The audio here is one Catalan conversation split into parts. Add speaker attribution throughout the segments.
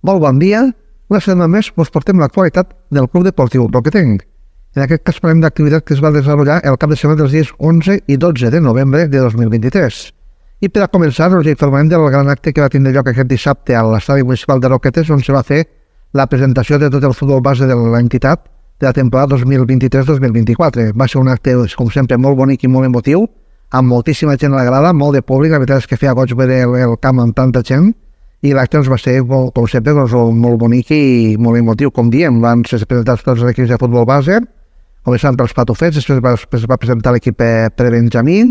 Speaker 1: Molt bon dia. Una setmana més us portem l'actualitat del Club Deportiu Roquetenc. En aquest cas parlem d'activitat que es va desenvolupar el cap de setmana dels dies 11 i 12 de novembre de 2023. I per a començar us informarem del gran acte que va tindre lloc aquest dissabte a l'estadi municipal de Roquetes, on se va fer la presentació de tot el futbol base de l'entitat de la temporada 2023-2024. Va ser un acte, com sempre, molt bonic i molt emotiu, amb moltíssima gent a la grada, molt de públic. La veritat és que feia goig veure el camp amb tanta gent, i l'acte va ser, com sempre, molt bonic i molt emotiu. Com diem, van ser presentats tots els equips de futbol base, començant pels patufets, després va presentar l'equip pre-benjamí,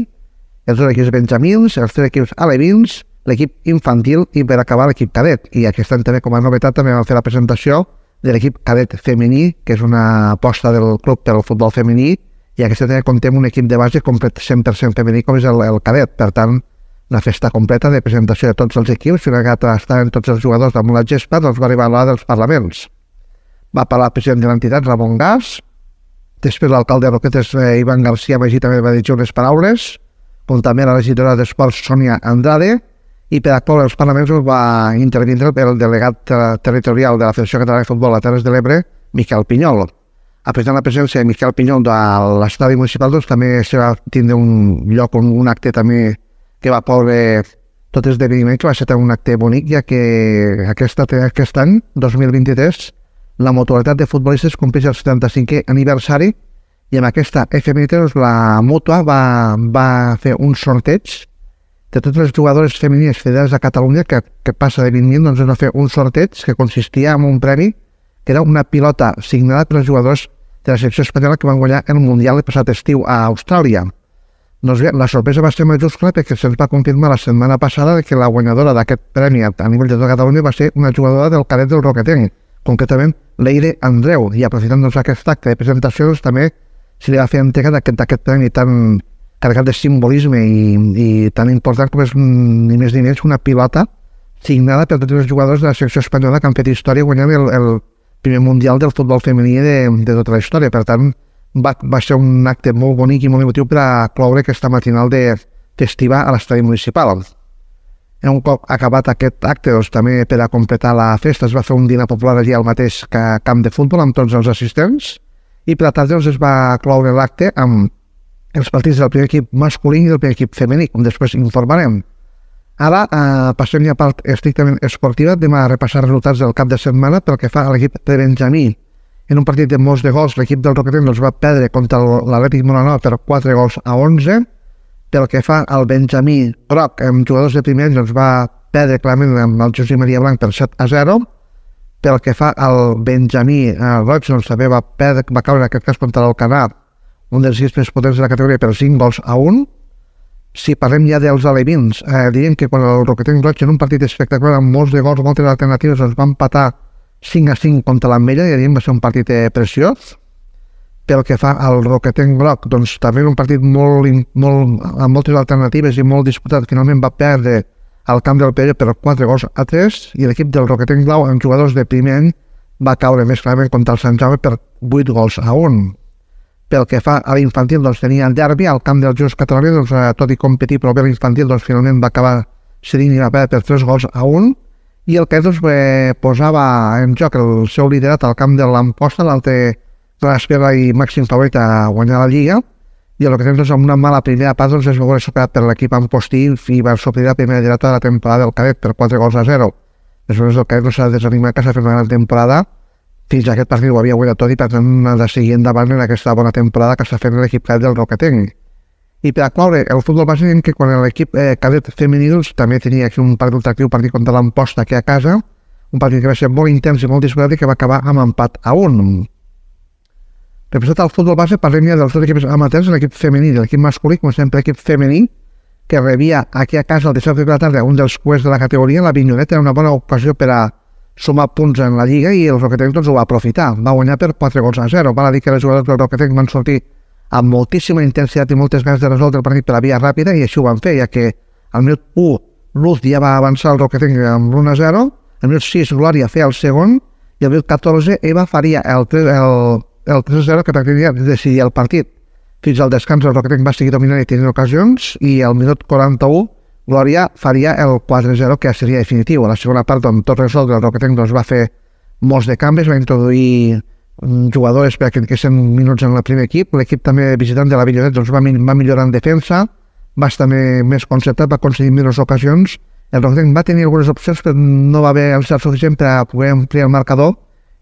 Speaker 1: els dos equips benjamins, els tres equips alevins, l'equip infantil i per acabar l'equip cadet. I aquest any també, com a novetat, també vam fer la presentació de l'equip cadet femení, que és una aposta del club pel futbol femení, i aquest any comptem un equip de base complet 100% femení, com és el cadet. Per tant, una festa completa de presentació de tots els equips, fins que estaven tots els jugadors damunt la gespa, doncs va arribar l'hora dels parlaments. Va parlar el president de l'entitat, Ramon Gas, després l'alcalde de Roquetes, Ivan García Magí, també va dir unes paraules, com també la regidora d'Esports, Sònia Andrade, i per actuar els parlaments va intervindre el delegat territorial de la Federació Catalana de Futbol a Terres de l'Ebre, Miquel Pinyol. Apretant la presència de Miquel Pinyol de l'estadi municipal, doncs també se va tindre un lloc, un acte també que va poder tot esdeveniment, que va ser un acte bonic, ja que aquest any, 2023, la mutualitat de futbolistes compleix el 75è aniversari, i amb aquesta efemèride la mútua va fer un sorteig de totes les jugadores femenines federades a Catalunya, que passa de 20.000, doncs va fer un sorteig que consistia en un premi, que era una pilota signada per els jugadors de la selecció espanyola que van guanyar el Mundial el passat estiu a Austràlia. Doncs bé, la sorpresa va ser majúscula perquè se'ns va confirmar la setmana passada que la guanyadora d'aquest premi a nivell de tota Catalunya va ser una jugadora del cadet del Roquetenc, concretament Leire Andreu, i aprofitant aquest acte de presentació també se li va fer entrega d'aquest premi tan carregat de simbolisme i tan important com és ni més ni menys una pilota signada per tots els jugadors de la selecció espanyola que han fet història guanyant el primer mundial del futbol femení de tota la història. Per tant, va ser un acte molt bonic i molt emotiu per a cloure aquesta matinal festiva a l'estadi municipal. Un cop acabat aquest acte, doncs, també per a completar la festa es va fer un dinar popular allà al mateix camp de futbol amb tots els assistents, i per la tarda doncs, es va cloure l'acte amb els partits del primer equip masculí i del primer equip femení, com després informarem. Ara passem ja a part estrictament esportiva. Anem a repassar resultats del cap de setmana pel que fa a l'equip de Benjamí. En un partit de molts de gols, l'equip del Roquetenc va perdre contra l'Atlètic Molanova per 4-11. Pel que fa al Benjamí groc, amb jugadors de primer, va perdre clarament amb el Josep Maria Blanc per 7-0. Pel que fa al Benjamí roig, també va caure en aquest cas contra l'Alcanar, un dels equips més potents de la categoria, per 5-1. Si parlem ja dels alevins, diríem que quan el Roquetenc roig, en un partit espectacular amb molts de gols, moltes alternatives, va empatar 5-5 contra l'Ametlla, i va ser un partit preciós. Pel que fa al Roquetenc groc, doncs també un partit amb moltes alternatives i molt disputat, finalment va perdre al camp del Pere per 4-3, i l'equip del Roquetenc blau, amb jugadors de primer any, va caure més clarament contra el Sant Jaume per 8-1. Pel que fa a l'infantil, doncs tenia el derbi al camp del Just Catalunya, doncs tot i competir, però bé l'infantil, doncs finalment va acabar cedint i va perdre per 3-1, i el que posava en joc el seu liderat al camp de l'Amposta, l'altre gran espera i màxim favorit a guanyar la Lliga, i el que amb una mala primera part es va veure superat per l'equip Ampostí i va sortir la primera derrota de la temporada del cadet per 4-0. Després el cadet no s'ha desanimat, que s'ha fet una gran temporada. Fins a aquest partit ho havia guanyat tot, i per tant ha de seguir endavant en aquesta bona temporada que està fent l'equip cadet del Roquetenc. I per aclaure, el futbol base, diem que quan l'equip cadet femení també tenia aquí un partit atractiu, partit contra l'Amposta aquí a casa, un partit que va ser molt intens i molt disputat i que va acabar amb empat a 1. Representat al futbol base, parlem ja dels dos equips amateurs, l'equip femení i l'equip masculí, com sempre l'equip femení, que rebia aquí a casa el dissabte de la tarda un dels cuers de la categoria, la Vinyoneta, era una bona ocasió per a sumar punts en la Lliga, i el Roquetenc ho va aprofitar, va guanyar per 4-0. Val a dir que els jugadors del Roquetenc van sortir amb moltíssima intensitat i moltes ganes de resoldre el partit per la via ràpida, i així ho van fer, ja que al minut 1 Luz ja va avançar el Roquetenc amb l'1-0, al minut 6 Glòria feia el segon, i al minut 14 Eva faria el 3-0 que pràcticament decidia el partit. Fins al descans el Roquetenc va seguir dominant i tenint ocasions, i al minut 41 Glòria faria el 4-0, que ja seria definitiu. A la segona part, tot resolt, el Roquetenc va fer molts de canvis, va introduir jugadors perquè tinguessin minuts en el primer equip. L'equip també visitant de la Vinyolet va millorar en defensa, va estar més concertat, va aconseguir millors ocasions. El Roquetenc va tenir algunes opcions, però no va haver encert suficient per a poder ampliar el marcador,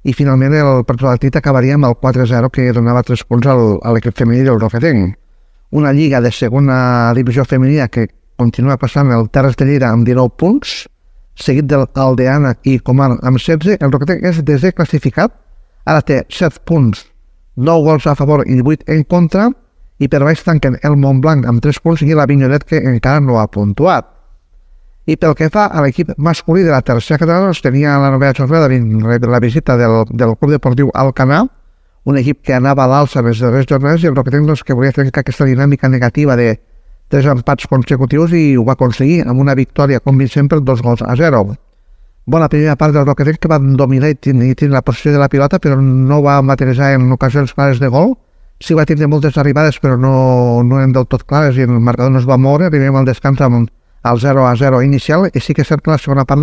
Speaker 1: i finalment el partit acabaria amb el 4-0, que donava 3 punts a l'equip femení del Roquetenc. Una lliga de segona divisió femenina que continua passant el Terres de Lleida amb 19 punts, seguit del Aldeana i Comar amb 16. El Roquetenc és desè classificat, ara té 7 punts, 9 gols a favor i 8 en contra, i per baix tanquen el Montblanc amb 3 punts i la Vinyolet, que encara no ha puntuat. I pel que fa a l'equip masculí de la tercera catalana, tenia la novena jornada la visita del Club Deportiu Alcanar, un equip que anava a l'alça les darreres jornades, i el Roquetenc que volia trencar aquesta dinàmica negativa de 3 empats consecutius, i ho va aconseguir amb una victòria convincent per 2-0. Bona primera part del Roquetenc, que va dominar i tenir la posició de la pilota, però no va materialitzar en ocasions clares de gol. Sí va tindre moltes arribades, però no eren del tot clares, i el marcador no es va moure. Arribem al descans amb el 0-0 inicial, i sí que és cert que la segona part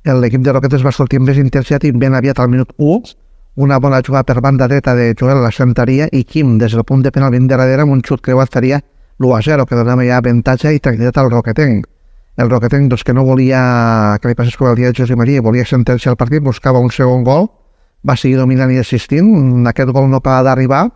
Speaker 1: l'equip de Roquetes va sortir amb més intensitat, i ben aviat al minut 1, una bona jugada per banda dreta de Joel La Santaria, i Quim, des del punt de penal ben darrere, amb un xut creuat faria l'1-0, que donava ja avantatge i tranquil·litat al Roquetenc. El Roquetenc, que no volia que li passés com el dia de José María, volia sentenciar el partit, buscava un segon gol, va seguir dominant i assistint. Aquest gol no acaba d'arribar,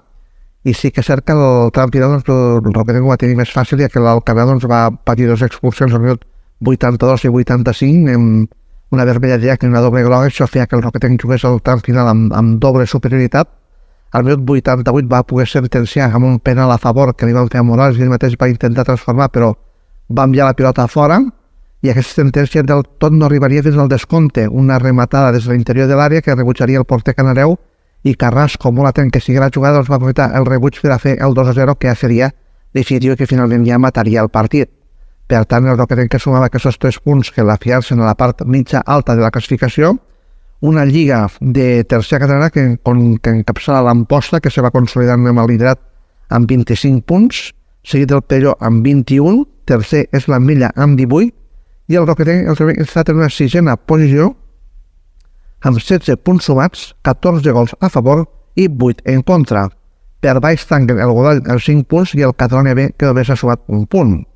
Speaker 1: i sí que és cert que el tram final el Roquetenc ho va tenir més fàcil, ja que l'Alcanar va patir 2 expulsions al minut 82 i 85, amb una vermella directa i una doble groga. Això feia que el Roquetenc jugués el tram final amb doble superioritat. Al minut 88 va poder sentenciar amb un penal a favor que li van fer a Morales, i ell mateix va intentar transformar, però va enviar la pilota a fora, i aquesta sentència del tot no arribaria fins al descompte. Una rematada des de l'interior de l'àrea que rebutjaria el porter canareu, i Carrasco, molt atent que sigui la jugada, va aprofitar el rebuig per a fer el 2-0, que ja seria definitiu, que finalment ja mataria el partit. Per tant, el Roquetenc que sumava aquests 3 punts que l'afiancen a la part mitja alta de la classificació. Una lliga de tercera catalana que encapçala l'Amposta, que se va consolidant amb el liderat amb 25 punts, seguit del Perelló amb 21, tercer és l'Ametlla amb 18, i el Roquetenc està en una 6a posició amb 16 punts sumats, 14 gols a favor i 8 en contra. Per baix tanquen el Godall els 5 punts i el Catalonia B, que només ha sumat un punt.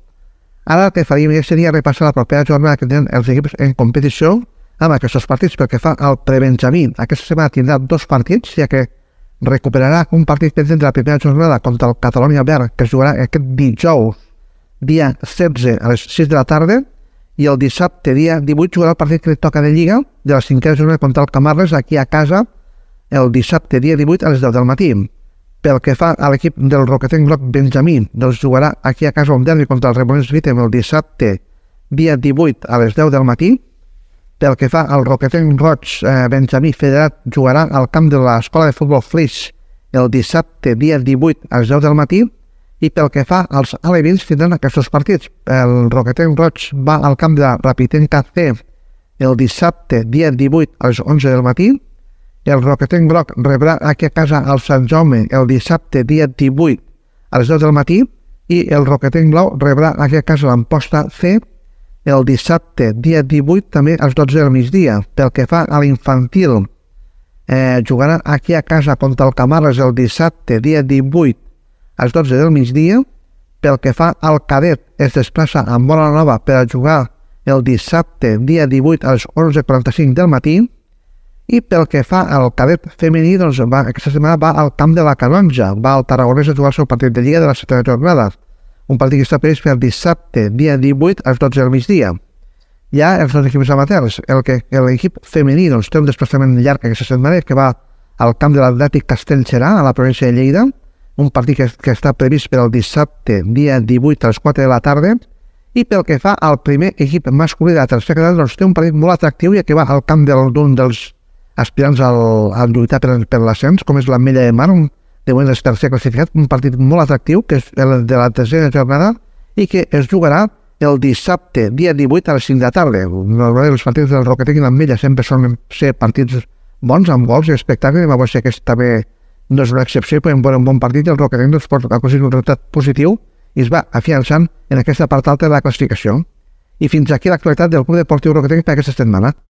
Speaker 1: Ara el que faríem seria repassar la propera jornada que tenen els equips en competició amb aquests partits. Pel que fa al prebenjamí, aquesta setmana tindrà 2 partits, ja que recuperarà un partit pendent de la primera jornada contra el Catalonia B, que es jugarà aquest dijous, dia 16 a les 6 de la tarda, i el dissabte, dia 18, jugarà el partit que li toca de Lliga, de la 5a jornada contra el Camarles, aquí a casa, el dissabte, dia 18, a les 10 del matí. Pel que fa a l'equip del Roquetenc Groc Benjamí, doncs jugarà aquí a casa un derbi contra el Rebolins Vitem el dissabte, dia 18, a les 10 del matí. Pel que fa al Roquetenc Roig Benjamí Federat, jugarà al camp de l'Escola de Futbol Flix el dissabte, dia 18, a les 10 del matí. I pel que fa als alevins, tindran aquests partits. El Roquetenc Roig va al camp de la Rapitenca C el dissabte, dia 18, a les 11 del matí. El Roquetenc Groc rebrà aquí a casa al Sant Jaume el dissabte, dia 18, a les 10 del matí. I el Roquetenc Blau rebrà aquí a casa l'Amposta C el dissabte, dia 18, també a les 12 del migdia. Pel que fa a l'infantil, jugarà aquí a casa contra el Camarles el dissabte, dia 18, a les 12 del migdia. Pel que fa al cadet, es desplaça a Móra la Nova per a jugar el dissabte, dia 18, a les 11:45 del matí. I pel que fa al cadet femení, doncs aquesta setmana va al camp de la Canonja, va al Tarragonès a jugar el seu partit de Lliga de la 7a jornada. Un partit que està previst per dissabte, dia 18, a les 12 del migdia. Ja els dos equips amateurs, l'equip femení doncs, té un desplaçament llarg aquesta setmana, que va al camp de l'Atlètic Castellserà, a la província de Lleida, un partit que està previst per al dissabte, dia 18, a les 4 de la tarda. I pel que fa al primer equip masculí de la tercera catalana, doncs té un partit molt atractiu, ja que va al camp d'un dels aspirants a lluitar per l'ascens, com és l'Ametlla de Mar, de moment és tercer classificat, un partit molt atractiu, que és el de la tercera jornada, i que es jugarà el dissabte, dia 18, a les 5 de la tarda. Normalment els partits del Roquetenc i l'Ametlla sempre solen ser partits bons, amb gols i espectacles, i va ser que també no és una excepció, podem veure un bon partit, i el Roquetenc pot aconseguir un resultat positiu i es va afiançant en aquesta part alta de la classificació. I fins aquí l'actualitat del Club Deportiu Roquetenc per aquesta setmana.